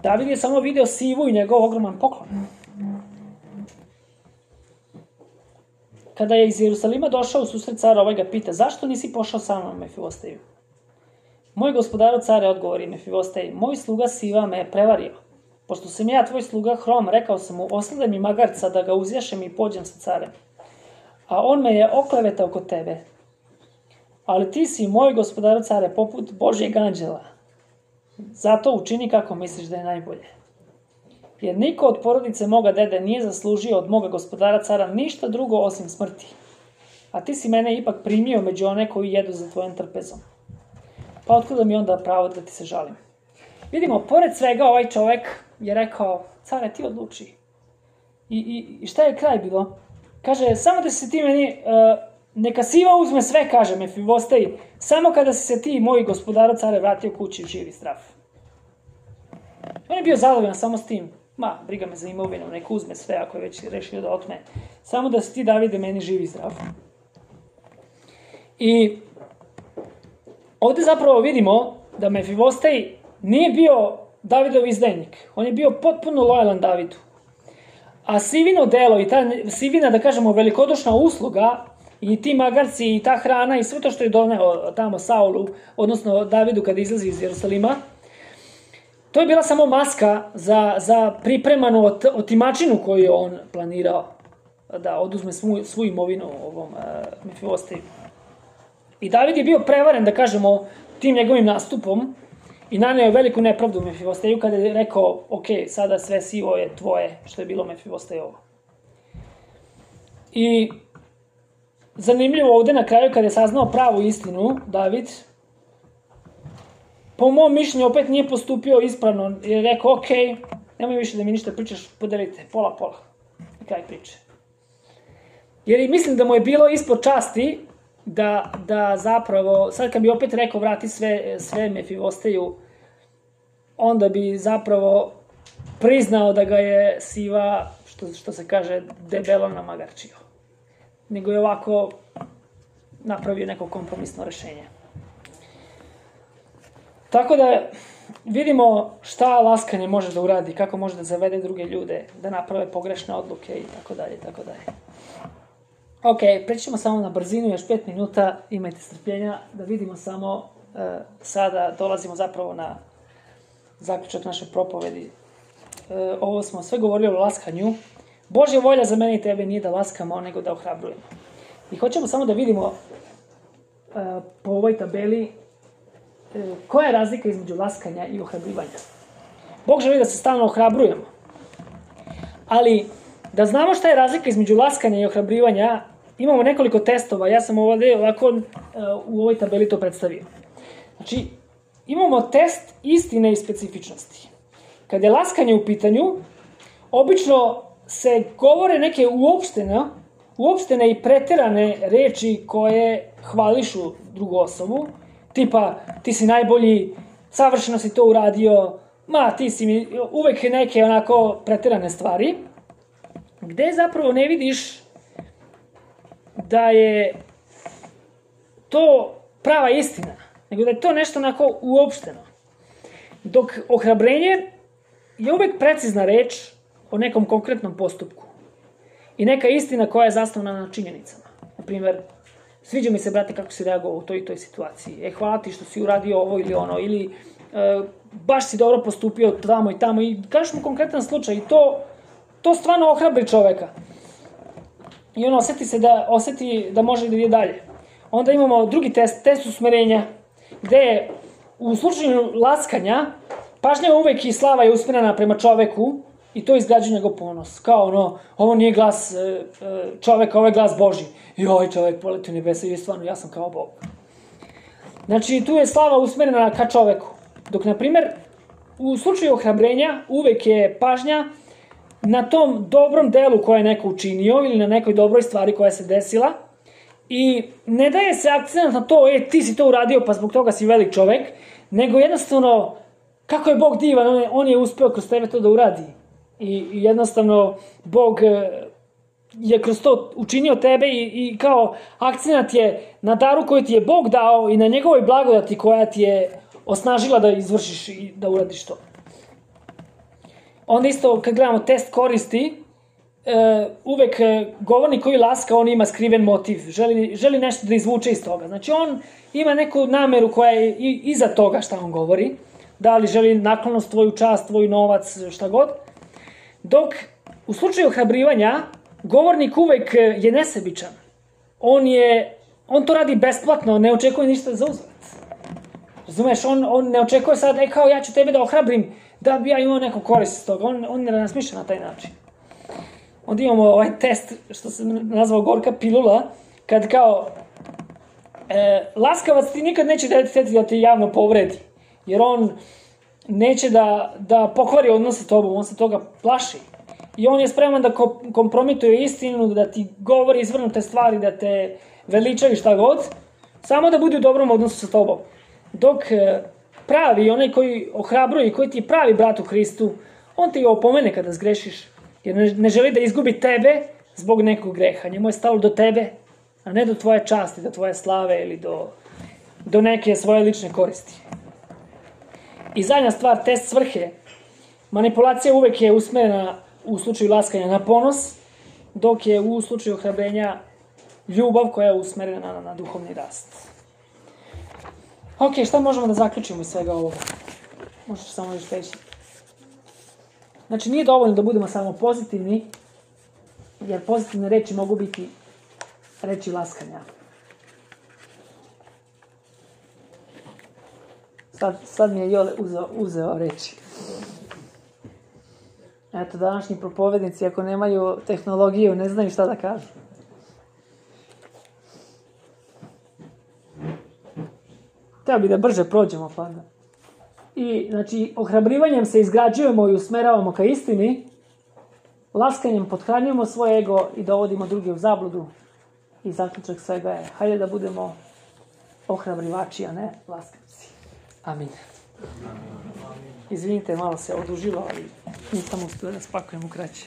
A: David je samo video Sivu i njegov ogroman poklon. Kada je iz Jerusalima došao u susret cara, ga pita, zašto nisi pošao sa mnom, Mefibosteju? Moj gospodaru care, odgovori Mefibostej, moj sluga Siva me je prevario. Pošto sam ja tvoj sluga Hrom, rekao sam mu, osledaj mi magarca da ga uzjašem i pođem sa carem. A on me je oklevetao kod tebe. Ali ti si, moj gospodaru care, poput Božjeg anđela. Zato učini kako misliš da je najbolje. Jer niko od porodice moga dede nije zaslužio od moga gospodara cara ništa drugo osim smrti. A ti si mene ipak primio među one koji jedu za tvojom trpezom. Pa otkuda mi onda pravo da ti se žalim? Vidimo, pored svega ovaj čovek je rekao, care, ti odluči. I šta je kraj bilo? Kaže, samo da si ti meni, neka Siva uzme sve, kaže Mefibostej, samo kada si se ti, moj gospodara care, vratio kući živ i zdrav. On je bio zadovoljan samo s tim. Briga me za imovinu, neka uzme sve ako je već rešio da otme. Samo da si ti, Davide, meni živ i zdrav. I ovde zapravo vidimo da Mefibostej nije bio Davidov izdajnik. On je bio potpuno lojalan Davidu. A Sivino delo i ta Sivina, da kažemo, velikodušna usluga i ti magarci i ta hrana i sve to što je doneo tamo Saulu, odnosno Davidu kada izlazi iz Jerusalima, to je bila samo maska za pripremanu otimačinu koju je on planirao da oduzme svu imovinu ovom Mefibosteju. I David je bio prevaren, da kažemo, tim njegovim nastupom i naneo veliku nepravdu Mefibosteju kada je rekao, ok, sada sve sivo je tvoje, što je bilo Mefibostejovo. I zanimljivo ovde na kraju kada je saznao pravu istinu, David, po mom mišljenju opet nije postupio ispravno, jer je rekao, ok, nemoj više da mi ništa pričaš, podelite, pola. Na kraj priče. Jer mislim da mu je bilo ispod časti da zapravo, sad kad bi opet rekao vrati sve Mefivosteju, onda bi zapravo priznao da ga je Siva, što se kaže, debelo namagarčio. Nego je ovako napravio neko kompromisno rešenje. Tako da vidimo šta laskanje može da uradi, kako može da zavede druge ljude, da naprave pogrešne odluke i tako dalje, tako dalje. Ok, prećemo samo na brzinu, još 5 minuta, imajte strpljenja, da vidimo samo, sada dolazimo zapravo na zaključak naše propovedi. Ovo smo sve govorili o laskanju. Božja volja za mene i tebe nije da laskamo, nego da ohrabrujemo. I hoćemo samo da vidimo po ovoj tabeli koja je razlika između laskanja i ohrabrivanja. Bog želi da se stalno ohrabrujemo. Ali, da znamo šta je razlika između laskanja i ohrabrivanja, imamo nekoliko testova. Ja sam ovdje ovako u ovoj tabeli to predstavio. Znači, imamo test istine i specifičnosti. Kad je laskanje u pitanju, obično se govore neke uopštene i preterane reči koje hvališu drugu osobu, tipa ti si najbolji, savršeno si to uradio, ti si mi, uvek neke onako preterane stvari, gde zapravo ne vidiš da je to prava istina, nego da je to nešto onako uopšteno. Dok ohrabrenje je uvek precizna reč o nekom konkretnom postupku i neka istina koja je zasnovana na činjenicama. Naprimjer, sviđa mi se, brate, kako si reagovao u toj i toj situaciji. Hvala ti što si uradio ovo ili ono, ili baš si dobro postupio tamo i tamo, i kažeš mu konkretan slučaj i to stvarno ohrabri čoveka. I on oseti da može da ide dalje. Onda imamo drugi test usmerenja, gde je u slučaju laskanja pažnja uvek i slava je usmerena prema čoveku i to izgrađuje njegov ponos. Kao ovo nije glas čoveka, ovo je glas Božji. I ovaj čovek poleti u nebesa i stvarno, ja sam kao Bog. Znači, tu je slava usmerena ka čoveku. Dok, na primer, u slučaju ohrabrenja uvek je pažnja na tom dobrom delu koje je neko učinio ili na nekoj dobroj stvari koja se desila i ne daje se akcent na to, ti si to uradio pa zbog toga si velik čovek, nego jednostavno kako je Bog divan, on je uspeo kroz tebe to da uradi. I jednostavno Bog je kroz to učinio tebe i kao akcent je na daru koju ti je Bog dao i na njegovoj blagodati koja ti je osnažila da izvršiš i da uradiš to. Onda isto kad gledamo test koristi, uvek govornik koji laska, on ima skriven motiv, želi nešto da izvuče iz toga. Znači on ima neku nameru koja je iza toga šta on govori, da li želi naklonost, tvoju čast, tvoj novac, šta god. Dok u slučaju ohrabrivanja, govornik uvek je nesebičan. On to radi besplatno, ne očekuje ništa za uzvrat. Razumeš, on ne očekuje sad, kao ja ću tebe da ohrabrim, da bi ja imao neku korist iz toga. On ne razmišlja na taj način. Onda imamo ovaj test, što se nazvao gorka pilula, kad kao laskavac ti nikad neće da te javno povredi, jer on neće da pokvari odnos sa tobom, on se toga plaši. I on je spreman da kompromituje istinu, da ti govori izvrnute stvari, da te veličaju šta god, samo da bude u dobrom odnosu sa tobom. Dok pravi, onaj koji ohrabruje i koji ti je pravi brat u Hristu, on ti opomene kada zgrešiš, jer ne želi da izgubi tebe zbog nekog greha. Njemu je stalo do tebe, a ne do tvoje časti, do tvoje slave ili do neke svoje lične koristi. I zadnja stvar, test svrhe. Manipulacija uvek je usmerena u slučaju laskanja na ponos, dok je u slučaju ohrabrenja ljubav koja je usmerena na duhovni rast. Ok, šta možemo da zaključimo iz svega ovoga? Možeš samo još reći. Znači, nije dovoljno da budemo samo pozitivni, jer pozitivne reči mogu biti reči laskanja. Sad mi je Jole uzeo reči. Eto, današnji propovednici, ako nemaju tehnologiju, ne znaju šta da kažu. Treba bi da brže prođemo, pa da. I, znači, ohrabrivanjem se izgrađujemo i usmeravamo ka istini, laskanjem pothranjujemo svoj ego i dovodimo druge u zabludu. I zaključak svega je, hajde da budemo ohrabrivači, a ne laskanci. Amin. Izvinite, malo se odužilo, ali nisam uspio da spakujem u kraće.